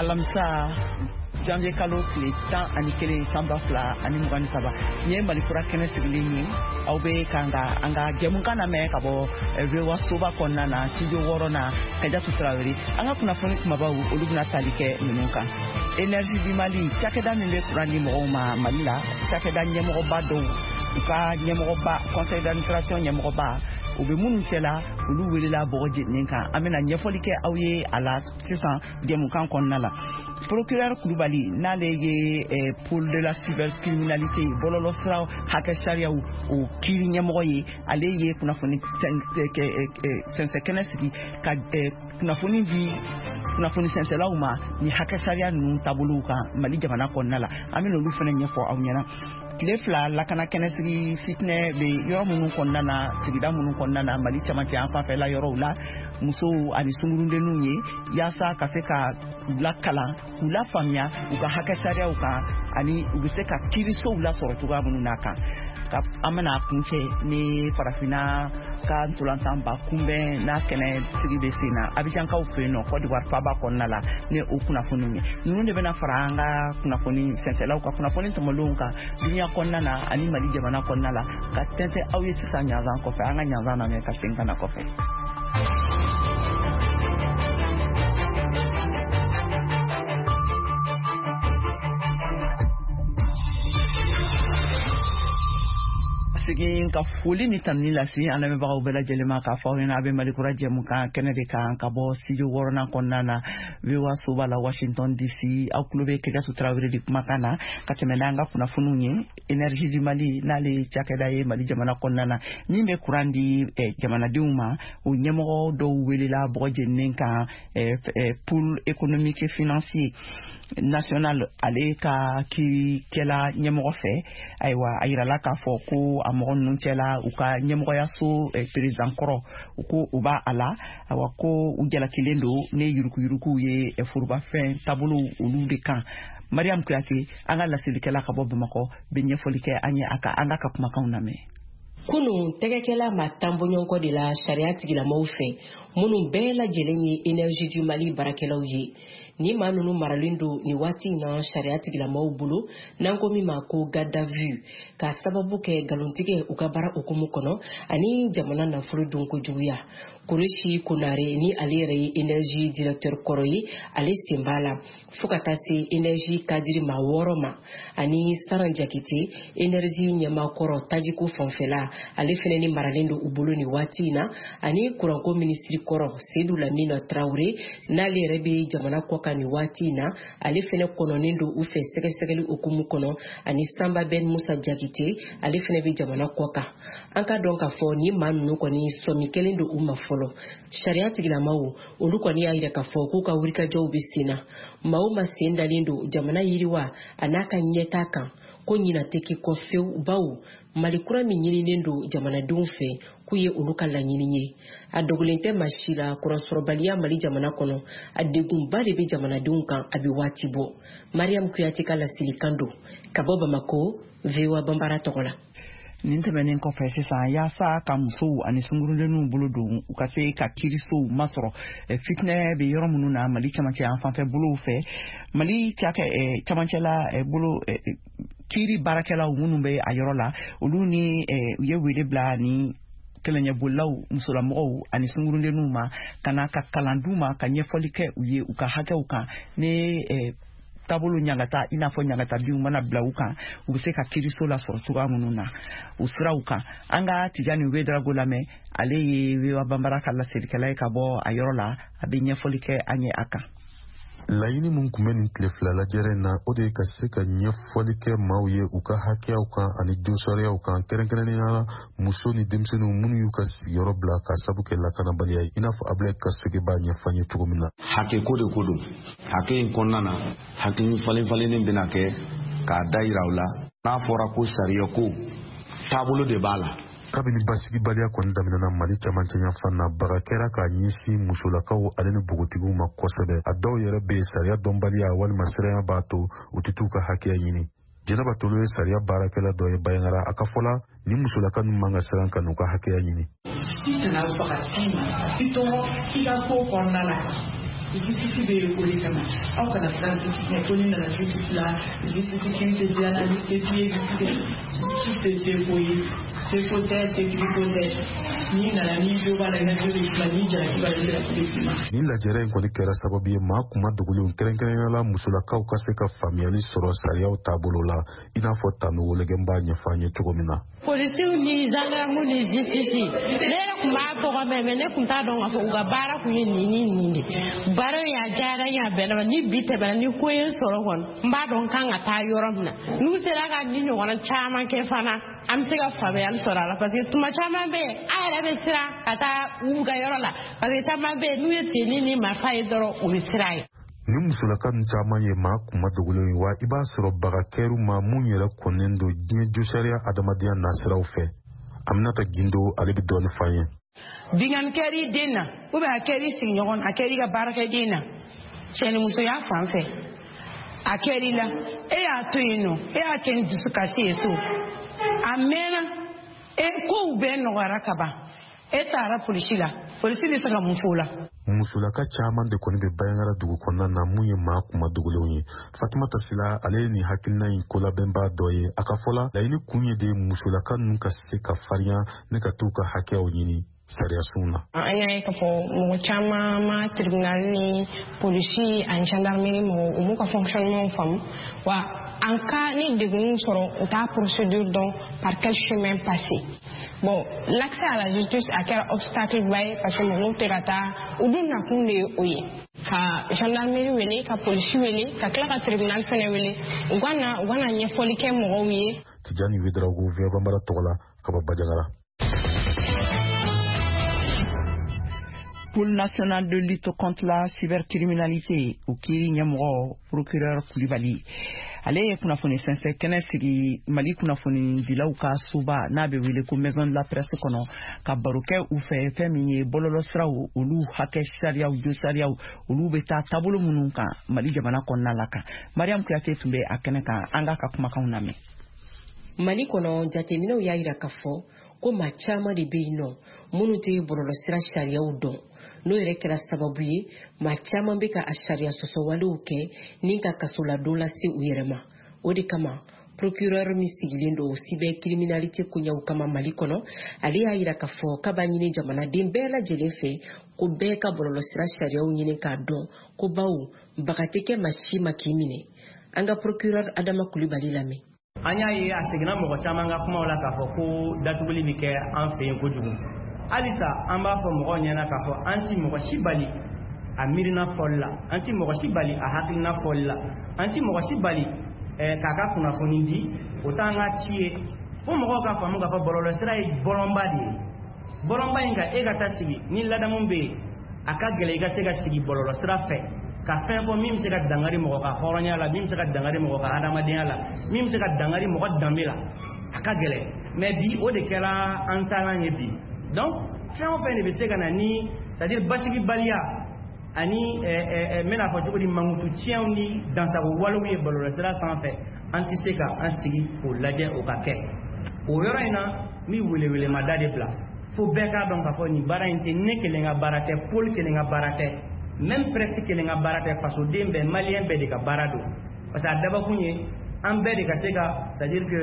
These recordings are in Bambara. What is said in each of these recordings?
Alamisa, janvier kalo tile 11, san 2023, nin ye Mali Kura kɛnɛ sigilen ye. Aw bɛ kan ka an ka jɛmukan lamɛn ka bɔ VOA soba kɔnɔna na, studio wɔɔrɔnan, Kajatu Tarawele. An ka kunnafoni kumabaw, olu bɛna tali kɛ ninnu kan: Énergie du Mali, cakɛda min bɛ kuran di mɔgɔw ma Mali la, cakɛda ɲɛmɔgɔba dɔw, u ka ɲɛmɔgɔba, conseil d'administration ɲɛmɔgɔba, u bɛ minnu cɛla, olu welela bɔgɔ jeninen kan. An bɛna ɲɛfɔli kɛ aw ye a la sisan jɛmukan kɔnɔna la. Procureur Kulubali, n'ale ye pôle de la cybercriminalité, bɔlɔlɔsira hakɛ sariyaw o kiiri ɲɛmɔgɔ ye, ale ye kunnafoni sɛnsɛn kɛnɛ sigi ka kunnafoni di kunnafoni sɛnsɛlaw ma ni hakɛ sariya ninnu taabolow kan Mali jamana kɔnɔna la. An bɛna olu fana ɲɛfɔ aw ɲɛna. Tile 2 lakana kɛnɛsigi, fitinɛ bɛ yɔrɔ minnu kɔnɔna na, sigida minnu kɔnɔna na Mali camancɛ yan fanfɛla yɔrɔw la, musow ani sunkurundenninw ye, yaasa ka se ka u lakalan, k'u lafaamuya u ka hakɛ sariyaw kan ani u bɛ se ka kiirisow lasɔrɔ cogoya minnu na kan. Ka an bɛna kuncɛ ni Farafinna ka ntolantanba kunbɛn n'a kɛnɛ sigi bɛ sen na Abijankaw fɛ yen nɔ, Côte d'Ivoire faaba kɔnɔna la, ni o kunnafoniw ye. Ninnu de bɛna fara an ka kunnafoni sɛnsɛlaw ka kunnafoni tɔmɔlenw kan duniya kɔnɔna na ani Mali jamana kɔnɔna la, ka tɛntɛn aw ye sisan ɲanzan kɔfɛ. An ka ɲanzan lamɛn ka segin ka na kɔfɛ. Segin ka foli ni tanuni lase an lamɛnbagaw bɛɛ lajɛlen ma, k'a fɔ aw ɲɛna a bɛ Mali Kura jɛmukan kɛnɛ de kan ka bɔ studio wɔɔrɔnan kɔnɔna na, VOA soba la, Washington DC. Aw tulo bɛ Kajatu Tarawele de kumakan na ka tɛmɛ n'an ka kunnafoniw ye. Énergie du Mali, n'ale ye cakɛda ye Mali jamana kɔnɔna na min bɛ kuran di jamanadenw ma, o ɲɛmɔgɔ dɔw welela bɔgɔ jeninen kan pôle économique et financier national, ale ka kiirikɛla ɲɛmɔgɔ fɛ. Ayiwa, a yirala k'a fɔ ko a mɔgɔ ninnu cɛla, u ka ɲɛmɔgɔyaso président kɔrɔ, u ko u b'a a la. Awa, ko u jalakilen don ne yurukuyurukuw ye forobafɛn taabolow olu de kan. Mariam Kuyate, an ka laselikɛla ka bɔ Bamakɔ, bɛ ɲɛfɔli kɛ an ye a ka an ka kumakanw lamɛn. Kunun, tɛgɛkɛla ma tan bɔɲɔgɔnkɔ de la sariya tigilamɔgɔw fɛ, minnu bɛɛ lajɛlen ye Énergie du Mali baarakɛlaw ye. Ni maa ninnu maralen don nin waati in na sariya tigilamɔgɔw bolo, n'an ko min ma ko garde à vue, k'a sababu kɛ nkalontigɛ u ka baara hukumu kɔnɔ ani jamana nafolo dunko juguya. Kuresi Konare, ni ale yɛrɛ ye énergie directeur kɔrɔ ye, ale sen b'a la, fo ka taa se énergie cadre maa wɔɔrɔ ma, ani Saran Jakite, énergie ɲɛmaa kɔrɔ tajiko fanfɛla, ale fɛnɛ ni maralen don u bolo nin waati in na, ani kuranko minisiri kɔrɔ Sedu Lamina Tarawele, n'ale yɛrɛ bɛ jamana kɔ kan nin waati in na, ale fɛnɛ kɔnɔnen don u fɛ sɛgɛsɛgɛli hukumu kɔnɔ, ani Sanba Ben Musa Jakite, ale fɛnɛ bɛ jamana kɔ kan. An ka dɔn k'a fɔ ni maa ninnu kɔni sɔmi kɛlen don u ma fɔlɔ. Sariya tigilamaw, olu kɔni y'a yira k'a fɔ k'u ka wulikajɔw bɛ sen na. Maa o maa sen dalen don jamana yiriwa a n'a ka ɲɛtaa kan, ko ɲina tɛ k'i kɔ fewu, bawo Mali kura min ɲininen don jamanadenw fɛ, k'u ye olu ka laɲini ye. A dogolen tɛ maa si la, kuransɔrɔbaliya Mali jamana kɔnɔ, a degunba de bɛ jamanadenw kan a bɛ waati bɔ. Mariam Kuyate ka laselikan don ka bɔ Bamako, VOA Banbara tɔgɔ la. Nin tɛmɛnen kɔfɛ sisan, yaasa ka musow ani sunkurudenninw bolo don u ka se ka kiirisow masɔrɔ fitinɛ bɛ yɔrɔ minnu na Mali camancɛ yan fanfɛ bolow fɛ, Mali cakɛ camancɛla bolo kiiri baarakɛlaw minnu bɛ a yɔrɔ la, olu ni u ye wele bila ni kɛlɛɲɛbolilaw musolamɔgɔw ani sunkurudenninw ma, ka na ka kalan d'u ma, ka ɲɛfɔli kɛ u ye u ka hakɛw kan, ni taabolo ɲangata, i n'a fɔ ɲangata binw mana bila u kan, u bɛ se ka kiiriso lasɔrɔ cogoya minnu na o siraw kan. An ka Tijani Wedrago lamɛn, ale ye VOA Banbara ka laselikɛla ye ka bɔ a yɔrɔ la, a bɛ ɲɛfɔli kɛ an ye a kan. Laɲini min tun bɛ nin tile 2 lajɛrɛ in na, o de ye ka se ka ɲɛfɔli kɛ maaw ye u ka hakɛyaw kan ani donsariyaw kan, kɛrɛnkɛrɛnnenya la muso ni denmisɛnninw minnu y'u ka sigiyɔrɔ bila ka sabu kɛ lakanabaliya ye, i n'a fɔ Abulayi Kasoge b'a ɲɛfɔ an ye cogo min na. Hakɛ ko de ko don. Hakɛ in kɔnɔna na, hakili falen falennen bɛna kɛ k'a da yira u la. N'a fɔra ko sariya ko, taabolo de b'a la. Kabini basigibaliya kɔni daminɛna Mali camancɛ yanfan na, baga kɛra k'a ɲɛsin musolakaw ale ni npogotigiw ma kosɛbɛ. A dɔw yɛrɛ bɛ yen, sariya dɔnbaliya walima siranya b'a to u tɛ t'u ka hakɛya ɲini. Jɛnɛba Tolo ye sariya baarakɛla dɔ ye Bayangara. A ka fɔ la, ni musolaka ninnu man ka siran ka n'u ka hakɛya ɲini. Si tɛna faga s'i ma, i tɔɔrɔ i ka ko kɔnɔna la. Justice bɛ yen o de kama. Aw kana siran justice ɲɛ ko ni nana justice la, justice kiri tɛ diya la, ni se t'i ye, justice tɛ seko ye, seko tɛ, setigi ko tɛ. N'i nana, n'i jo b'a la, i ka jo bɛ d'i ma, n'i jalaki b'a la, i jalaki bɛ d'i ma. Nin lajɛrɛ in kɔni kɛra sababu ye maa kuma dogolenw, kɛrɛnkɛrɛnnenya la musolakaw, ka se ka faamuyali sɔrɔ sariyaw taabolo la, i n'a fɔ Tanu Wologɛn b'a ɲɛfɔ an ye cogo min na. Polisiw ni gendarme ni justice, ne yɛrɛ tun b'a tɔgɔ mɛn, mais ne tun t'a dɔn k'a fɔ u ka baara kun ye nin ni nin de. Baara in a diyara n ye, a bɛnna ma. Ni bi tɛmɛna, ni ko ye n sɔrɔ kɔni, n b'a dɔn n kan ka taa yɔrɔ min na. N'u sera ka nin ɲɔgɔnna caman kɛ fana, an bɛ se ka faamuyali sɔrɔ a la, parce que tuma caman bɛ yen, an yɛrɛ bɛ siran ka taa u ka yɔrɔ la, parce que caman bɛ yen, n'u ye tenue ni marifa ye dɔrɔn, u bɛ siran ye. Ni musolaka ninnu caman ye maa kuma dogolenw ye wa, i b'a sɔrɔ baga kɛr'u ma mun yɛrɛ kɔnnen don diɲɛ josariya adamadenya nasiraw fɛ. Aminata Gindo, ale bɛ dɔɔni f'an ye. Binkanni kɛr'i den na, ou bien a kɛr'i sigiɲɔgɔn na, a kɛr'i ka baarakɛden na, cɛnimusoya fan fɛ, a kɛr'i la, e y'a to yen nɔ, e y'a kɛ ni dusukasi ye so, a mɛnna, e kow bɛɛ nɔgɔyara ka ban, e taara polisi la, polisi bɛ se ka mun f'o la? Musolaka caman de kɔni bɛ Banjagara dugu kɔnɔna na mun ye maa kuma dogolenw ye. Fatumata Sila, ale ye nin hakilina in kolabɛnbaa dɔ ye. A ka fɔ la, laɲini kun ye de musolaka ninnu ka se ka farinya ne ka t'u ka hakɛyaw ɲini sariyasunw na. An y'a ye k'a fɔ mɔgɔ caman ma tribunal ni polisi ani gendarmerie mɔgɔw, u m'u ka fonctionnement faamu wa. En cas ni degun sɔrɔ, u t'a procédure dɔn, par quel chemin passer. Bon, l'accès à la justice a kɛra obstacle ba ye, parce que mɔgɔw tɛ ka taa. U dun nakun de ye o ye, ka gendarmerie wele, ka polisi wele, ka tila ka tribunal fɛnɛ wele, u ka na ɲɛfɔli kɛ mɔgɔw ye. Tijani Wedrago, VOA Banbara tɔgɔ la, ka bɔ Banjagara. Pôle national de lutte contre la cybercriminalité, o kiiri ɲɛmɔgɔ, procureur Kulibali, ale ye kunnafoni sɛnsɛn kɛnɛ sigi Mali kunnafonidilaw ka soba n'a bɛ wele ko Maison de la Presse kɔnɔ, ka baro kɛ u fɛ fɛn min ye bɔlɔlɔsiraw, olu hakɛ sariyaw, jo sariyaw, olu bɛ taa taabolo minnu kan Mali jamana kɔnɔna la kan. Mariam Kuyate tun bɛ a kɛnɛ kan, an k'a ka kumakanw lamɛn. Mali kɔnɔ, jateminɛw y'a yira k'a fɔ ko maa caman de bɛ yen nɔ minnu tɛ bɔlɔlɔsira sariyaw dɔn. N'o yɛrɛ kɛra sababu ye, maa caman bɛ ka a sariya sɔsɔwalew kɛ ni ka kasoladon lase u yɛrɛ ma. O de kama, procureur min sigilen don cybercriminalité koɲɛw kama Mali kɔnɔ, ale y'a yira k'a fɔ k'a b'a ɲini jamanaden bɛɛ lajɛlen fɛ ko bɛɛ ka bɔlɔlɔsira sariyaw ɲini k'a dɔn, ko bawo baga tɛ kɛ maa si ma k'i minɛ. An ka procureur Adama Kulibali lamɛn. An y'a ye, a seginna mɔgɔ caman ka kumaw la k'a fɔ ko datuguli bɛ kɛ an fɛ yen kojugu. Halisa an b'a fɔ mɔgɔw ɲɛna k'a fɔ an ti mɔgɔ si bali a miirina fɔli la, an ti mɔgɔ si bali a hakilina fɔli la, an ti mɔgɔ si bali k'a ka kunnafoni di. O t'an ka ci ye. Fo mɔgɔw ka faamu k'a fɔ bɔlɔlɔsira ye bɔlɔnba de ye. Bɔlɔnba in kan, e ka taa sigi ni ladamu bɛ yen, a ka gɛlɛn i ka se ka sigi bɔlɔlɔsira fɛ ka fɛn fɔ min bɛ se ka dangari mɔgɔ ka hɔrɔnya la, min bɛ se ka dangari mɔgɔ ka hadamadenya la, min bɛ se ka dangari mɔgɔ danbe la. A ka gɛlɛn, mais bi o de kɛra an taalan ye bi. Donc fɛn o fɛn de bɛ se ka na ni, c'est à dire basigibaliya ani n bɛna fɔ cogo di, mankutu tiɲɛw ni dansago walew ye bɔlɔlɔsira sanfɛ, an tɛ se ka an sigi k'o lajɛ o ka kɛ. O yɔrɔ in na, n bɛ welewelemada de bila fo bɛɛ k'a dɔn k'a fɔ nin baara in tɛ ne kelen ka baara tɛ, pôle kelen ka baara tɛ, même presse kelen ka baara tɛ. Fasoden bɛɛ, maliyɛn bɛɛ de ka baara don, parce que a dabakun ye an bɛɛ de ka se ka, c'est à dire que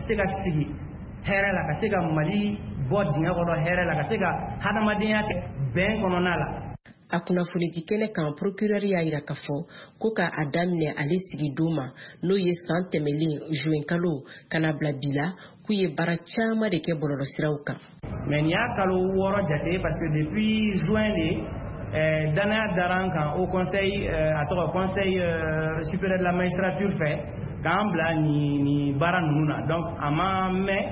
se ka sigi hɛrɛ la, ka se ka Mali bɔ dingɛ kɔnɔ hɛrɛ la, ka se ka hadamadenya kɛ bɛn kɔnɔna la. A kunnafonidi kɛnɛ kan, procureur y'a yira k'a fɔ ko ka a daminɛ ale sigi don ma, n'o ye san tɛmɛlen juin kalo, ka na bila bi la, k'u ye baara caman de kɛ bɔlɔlɔsiraw kan. Mais nin y'a kalo 6 jate, parce que depuis juin de danaya dara an kan au conseil, a tɔgɔ Conseil supérieur de la magistrature fɛ, k'an bila nin baara ninnu na. Donc a ma mɛn,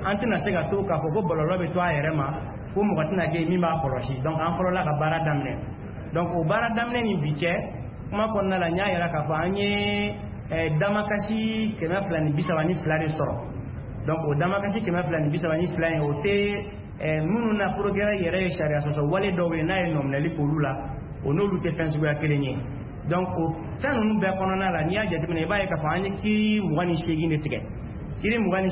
an tɛna se ka to k'a fɔ ko bɔlɔlɔ bɛ to a yɛrɛ ma, ko mɔgɔ tɛna kɛ min b'a kɔlɔsi. Donc an fɔlɔla ka baara daminɛ. Donc o baara daminɛ ni bi cɛ, kuma kɔnɔna la, n y'a yira k'a fɔ an ye damakasi 232 de sɔrɔ. Donc o damakasi 232 in, o tɛ minnu na procureur yɛrɛ ye sariya sɔsɔ wale dɔw ye n'a ye nɔminɛli k'olu la, o n'olu tɛ fɛn suguya kelen ye. Donc o fɛn ninnu bɛɛ kɔnɔna la, n'i y'a jateminɛ, i b'a ye k'a fɔ an ye kiiri 28 de tigɛ, kiiri 28.